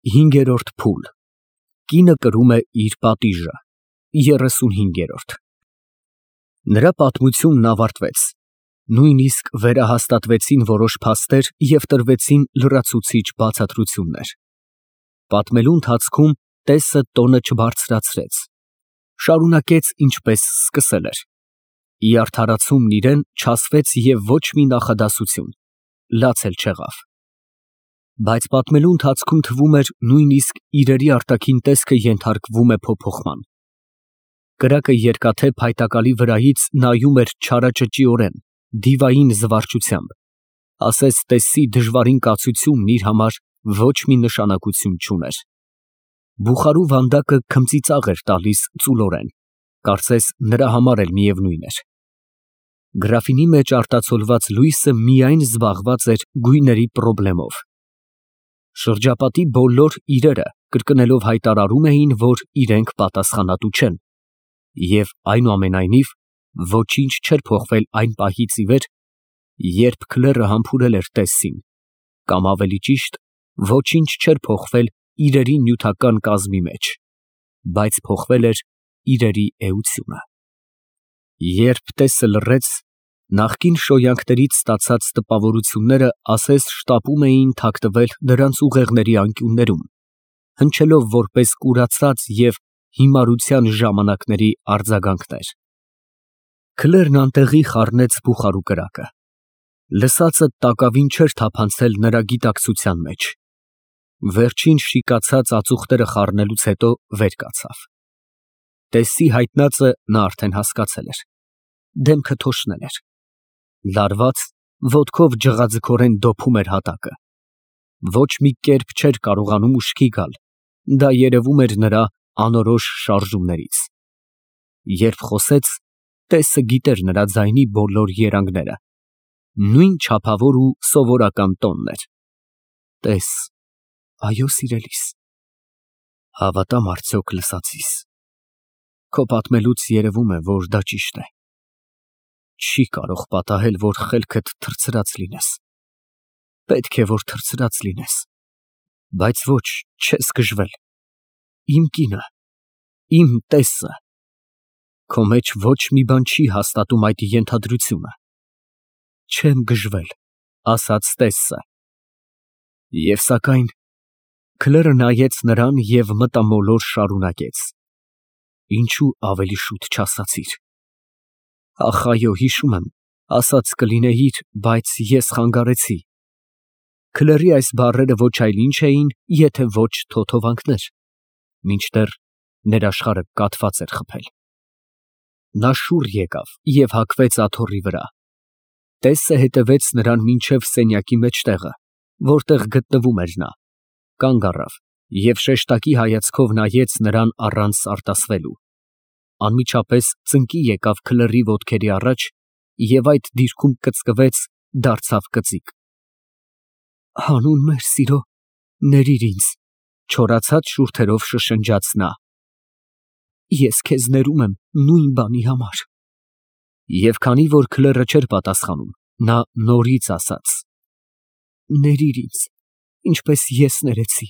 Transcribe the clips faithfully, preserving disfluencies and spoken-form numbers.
Հինգերորդ փուլ։ Կինը կրում է իր պատիժը։ Երեսունհինգերորդ Նրա պատմությունն ավարտվեց, նույնիսկ վերահաստատվեցին որոշ փաստեր և տրվեցին լրացուցիչ բացատրություններ։ Պատմելու ընթացքում տեսը տոնը չբարձրացրեց, շարունակեց ինչպես սկսել էր։ Ի արդարացումն իրեն չասվեց և ոչ մի նախադասություն, լաց էլ չեղավ։ Բայց պատմելու ընթացքում թվում էր նույնիսկ իրերի արտաքին տեսքը ենթարկվում է փոփոխման։ Կրակը երկաթե փայտակալի վրայից նայում էր չարաճճիորեն, դիվային զվարճությամբ, ասես տեսի դժվարին կացությունն իր համար ոչ մի նշանակություն չուներ։ Բուխարու վանդակը քմծիծաղ էր տալիս ծուլորեն, կարծես նրա համար էլ միևնույն էր։ Գրաֆինի մեջ արտացոլված լույսը միայն զբաղված էր գույների պրոբլեմով։ Շրջապատի բոլոր իրերը կրկնելով հայտարարում էին, որ իրենք պատասխանատու չեն, և այնուամենայնիվ ոչինչ չէր փոխվել այն պահից ի վեր, երբ քլերը համբուրել էր տեսին, կամ ավելի ճիշտ, ոչինչ չէր փոխվել իրերի նյութական կազմի մեջ, բայց փոխվել էր իրերի էությունը։ Երբ տեսը լռեց, նախկին շոյանքներից ստացած տպավորությունները ասես շտապում էին թաքնվել դրանց ուղեղների անկյուններում, հնչելով որպես կուրացած և հիմարության ժամանակների արձագանքներ։ Քլերն անտեղի խառնեց բուխարու կրակը։ Լսածը տակավին չէր թափանցել նրա գիտակցության մեջ։ Վերջին շիկացած ածուխները խառնելուց հետո վեր կացավ։ Տեսի հայտնածը նա արդեն հասկացել էր։ Դեմքը թոշնել էր։ Լարված, ոտքով ջղաձգորեն դոփում էր հատակը։ Ոչ մի կերպ չէր կարողանում ուշքի գալ, դա երևում էր նրա անորոշ շարժումներից։ Երբ խոսեց, տեսը գիտեր նրա ձայնի բոլոր երանգները։ Նույն չափավոր ու սովորական տոնն էր։ Տես, այո սիրելիս, հավատամ արդյոք լսածիս։ Քո պատմելուց երևում է, որ դա ճիշտ է։ Չի կարող պատահել, որ խելքդ թռցրած լինես։ Պետք է, որ թռցրած լինես, բայց ոչ, չես գժվել։ Իմ կինը, իմ տեսը։ Քո մեջ ոչ մի բան չի հաստատում այդ ենթադրությունը։ Չեմ գժվել, ասաց տեսը։ Եվ սակայն քլերը նայեց նրան և մտամոլոր շարունակեց. Ինչու ավելի շուտ չասացիր։ Ախ, այո, հիշում եմ, ասած կլինեիր, բայց ես խանգարեցի։ Քլերի այս բառերը ոչ այլ ինչ էին, եթե ոչ թոթովանքներ, մինչդեռ ներաշխարհը կաթված էր խփել։ Նա շուռ եկավ և հագվեց աթոռի վրա։ Տեսը հետևեց նրան մինչև սենյակի մեջտեղը, որտեղ գտնվում էր նա, կանգ առավ և շեշտակի հայացքով նայեց նրան առանց արտասվելու։ Անմիջապես ծնկի եկավ քլերի ոտքերի առաջ և այդ դիրքում կծկվեց, դարձավ կծիկ։ Հանուն մեր սիրո, ներիր ինձ, չորացած շուրթերով շշնջաց նա։ Ես քեզ ներում եմ նույն բանի համար։ Եվ քանի որ քլերը չէր պատասխանում, նա նորից ասաց. Ներիր ինձ, ինչպես ես ներեցի։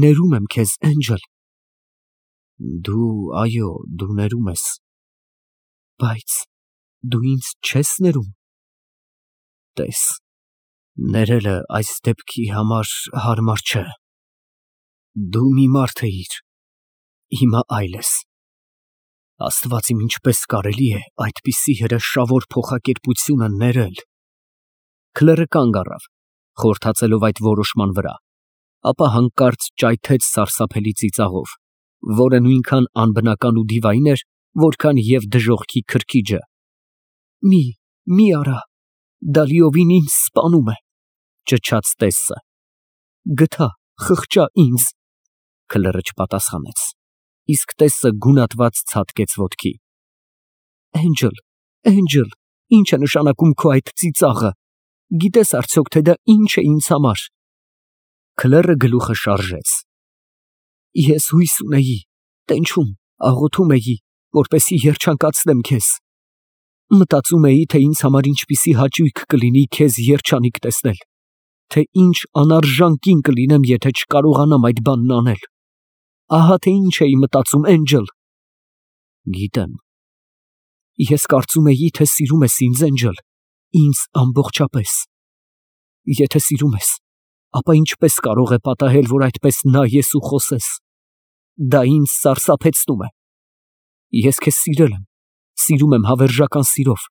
Ներում եմ քեզ, Էնջել։ Դու, այո, դու ներում ես։ Բայց դու ինձ չես ներում։ Տես, ներելը այս դեպքի համար հարմար չէ։ Դու մի մարդ էիր, հիմա այլ ես։ Աստված իմ, ինչպես կարելի է այդպիսի հրեշավոր փոխակերպությունը ներել։ Քլերը կանգ առավ, խորհրդածելով այդ որոշման վրա, ապա հանկարծ ճայթեց սարսափելի ծիծաղով, որը նույնքան անբնական ու դիվային էր, որքան և դժոխքի քրքիջը։ Մի, մի արա, դա լիովին ինձ սպանում է, ճչաց տեսը։ Գթա, խղճա ինձ։ Քլերը չպատասխանեց, իսկ տեսը գունատված ցատկեց ոտքի։ Էնջել, Էնջել, ինչ է նշանակում քո այդ ծիծաղը։ Գիտես արդյոք, թե դա ինչ է ինձ համար։ Քլերը գլուխը շարժեց։ Ես հույս ունեի, տենչում, աղոթում էի, որպեսզի երջանկացնեմ քեզ։ Մտածում էի, թե ինձ համար ինչպիսի հաճույք կլինի քեզ երջանիկ տեսնել։ թե ինչ անարժան կին կլինեմ, եթե չկարողանամ այդ բանն անել։ Ահա թե ինչ էի մտածում, Էնջլ։ Գիտեմ։ Ես կարծում էի, թե սիրում ես ինձ, Էնջլ, ինձ ամբողջապես։ Եթե սիրում ես, ապա ինչպես կարող է պատահել, որ այդպես նայես ու խոսես։ Դա ինձ սարսափեցնում է։ Ես քեզ սիրել եմ, սիրում եմ հավերժական սիրով,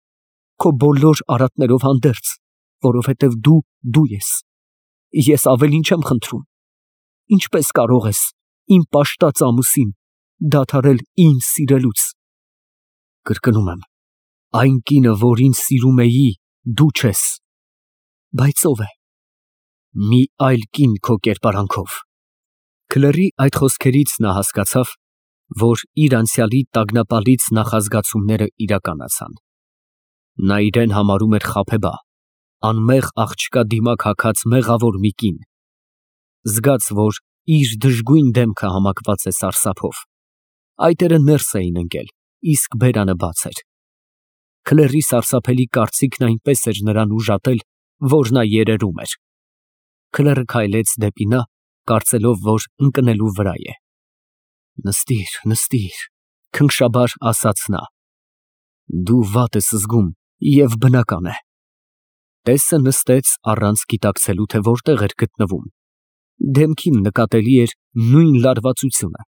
քո բոլոր արատներով հանդերձ, որովհետև դու դու ես։ Ես ավելին չեմ խնդրում։ Ինչպես կարող ես իմ պաշտած ամուսին դադարել ինձ սիրելուց։ Կրկնում եմ, այն կինը, որին սիրում էի, դու չես։ Բայց ով է։ Մի այլ կին քո կերպարանքով։ Քլերի այդ խոսքերից նա հասկացավ, որ իր անցյալի տագնապալից նախազգացումները իրականացան։ Նա իրեն համարում էր խաբեբա, անմեղ աղջկա դիմակ հագած մեղավոր մի կին։ Զգաց, որ իր դժգույն դեմքը համակված է սարսափով։ Այտերը ներս էին ընկել, իսկ բերանը բաց էր։ Քլերի սարսափելի կարծիքն այնպես էր նրան ուժատել, որ նա երերում էր։ Քլերը քայլեց դեպի նա, կարծելով, որ ընկնելու վրա է։ Նստիր, նստիր, քնքշաբար ասաց նա։ Դու վատ ես զգում և բնական է։ Տեսը նստեց առանց գիտակցելու, թե որտեղ էր գտնվում։ Դեմքին նկատելի էր նույն լարվածությունը,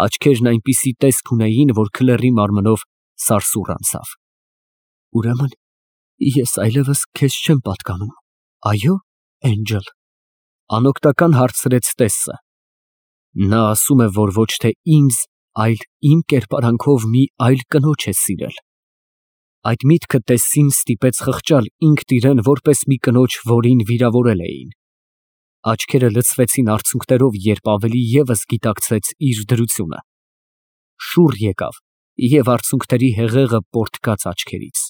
աչքերն այնպիսի տեսք ունեին, որ քլերի մարմնով սարսուռ անցավ։ Ուրեմն ես այլևս քեզ չեմ պատկանում, այո՞, Էնջլ, անօգնական հարցրեց տեսը։ Նա ասում է, որ ոչ թե ինձ, այլ իմ կերպարանքով մի այլ կնոջ է սիրել։ Այդ միտքը տեսին ստիպեց խղճալ ինքն իրեն որպես մի կնոջ, որին վիրավորել էին։ Աչքերը լցվեցին արցունքներով, երբ ավելի ևս գիտակցեց իր դրությունը։ Շուռ եկավ և արցունքների հեղեղը պոռթկաց աչքերից։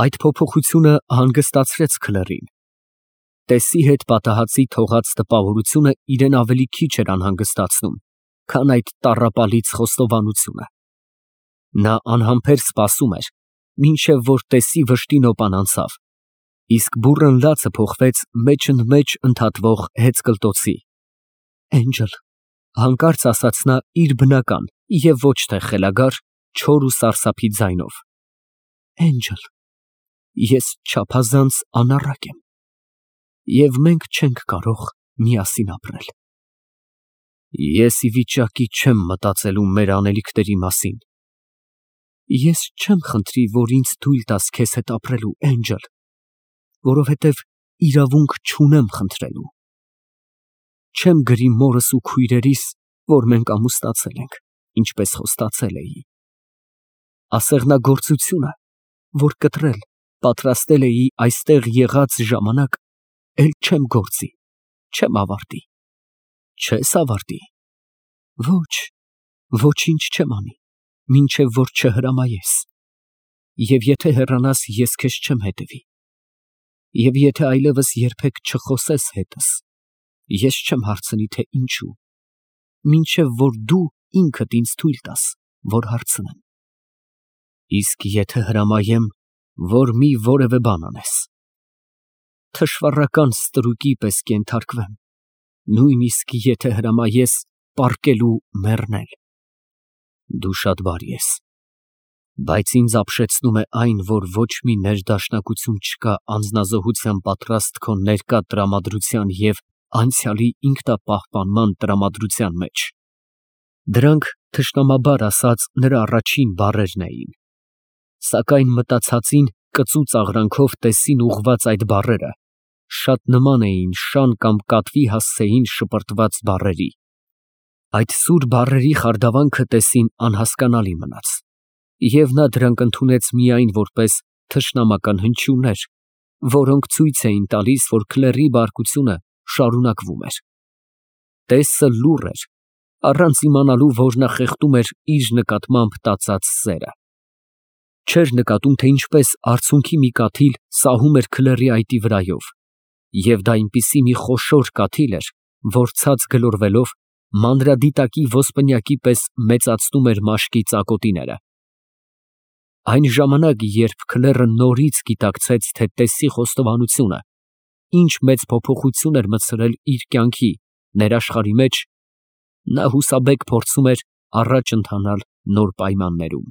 Այդ փոփոխությունը հանգստացրեց քլերին։ Տեսի հետ պատահածի թողած տպավորությունը իրեն ավելի քիչ էր անհանգստացնում, քան այդ տառապալից խոստովանությունը։ Նա անհամբեր սպասում էր, մինչև որ տեսի վշտի նոպան անցավ, իսկ բուռն լացը փոխվեց մեջընդմեջ ընդհատվող հեծկլտոցի։ Էնջլ, հանկարծ ասաց նա իր բնական և ոչ թե խելագար, չոր ու սարսափի ձայնով։ Էնջլ, ես չափազանց անառակ եմ, և մենք չենք կարող միասին ապրել։ Ես ի վիճակի չեմ մտածելու մեր անելիքների մասին։ Ես չեմ խնդրի, որ ինձ թույլ տաս քեզ հետ ապրելու, Էնջլ, որովհետև իրավունք չունեմ խնդրելու։ Չեմ գրի մորս ու քույրերիս, որ մենք ամուսնացել ենք, ինչպես խոստացել էի։ Ասեղնագործությունը, որ կտրել, պատրաստել էի այստեղ եղած ժամանակ, էլ չեմ գործի, չեմ ավարտի։ Չես ավարտի։ Ոչ, ոչինչ չեմ անի, մինչև որ չհրամայես։ Եվ եթե հեռանաս, ես քեզ չեմ հետևի։ Եվ եթե այլևս երբեք չխոսես հետս, ես չեմ հարցնի, թե ինչու, մինչև որ դու ինքդ ինձ թույլ տաս, որ հարցնեմ։ Իսկ եթե հրամայեմ, որ մի որևէ բան անես, թշվառական ստրուկի պես կենթարկվեմ, նույնիսկ եթե հրամայես պառկելու մեռնել։ Դու շատ բարի ես, բայց ինձ ապշեցնում է այն, որ ոչ մի ներդաշնակություն չկա անձնազոհության պատրաստ քո ներկա տրամադրության և անցյալի ինքնապահպանման տրամադրության մեջ։ Դրանք թշնամաբար ասած նրա առաջին բառերն էին, սակայն մտածածին կծու ծաղրանքով տեսին ուղղված այդ բառերը շատ նման էին շան կամ կատվի հասցեին շպրտված բառերի։ Այդ սուր բառերի խարդավանքը տեսին անհասկանալի մնաց, և նա դրանք ընդունեց միայն որպես թշնամական հնչյուններ, որոնք ցույց էին տալիս, որ քլերի բարկությունը շարունակվում էր։ Տեսը լուռ էր, առանց իմանալու, որ նա խեղդում էր իր նկատմամբ տածած սերը։ Չէր նկատում, թե ինչպես արցունքի մի կաթիլ սահում էր քլերի այտի վրայով, և դա այնպիսի մի խոշոր կաթիլ էր, որ ցած գլորվելով մանրադիտակի ոսպնյակի պես մեծացնում էր մաշկի ծակոտիները։ Այն ժամանակ, երբ քլերը նորից գիտակցեց, թե տեսի խոստովանությունը, ինչ մեծ փոփոխություն էր մտցրել իր կյանքի, ներաշխարհի մեջ, նա հուսաբեկ փորձում էր առաջ ընթանալ նոր պայմաններում։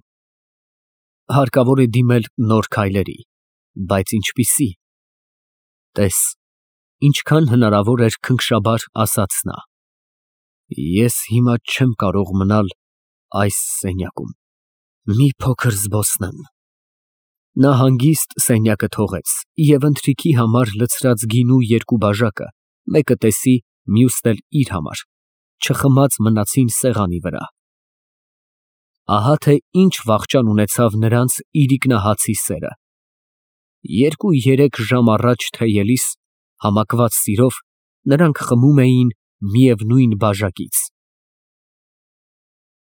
Հարկավոր է դիմել նոր քայլերի, բայց ինչպիսի՞։ Տես, ինչքան հնարավոր էր քնքշաբար ասաց նա. «Ես հիմա չեմ կարող մնալ այս սենյակում, մի փոքր զբոսնեմ»։ Նա հանգիստ սենյակը թողեց և ընթրիքի համար լցրած գինու երկու բաժակը, մեկը տեսի, մյուսն էլ իր համար, չխմած մնացին սեղանի վրա։ Ահա թե ինչ վախճան ունեցավ նրանց իրիկնահացի սերը։ Երկու֊երեք ժամ առաջ թեյելիս, համակված սիրով, նրանք խմում էին միևնույն բաժակից։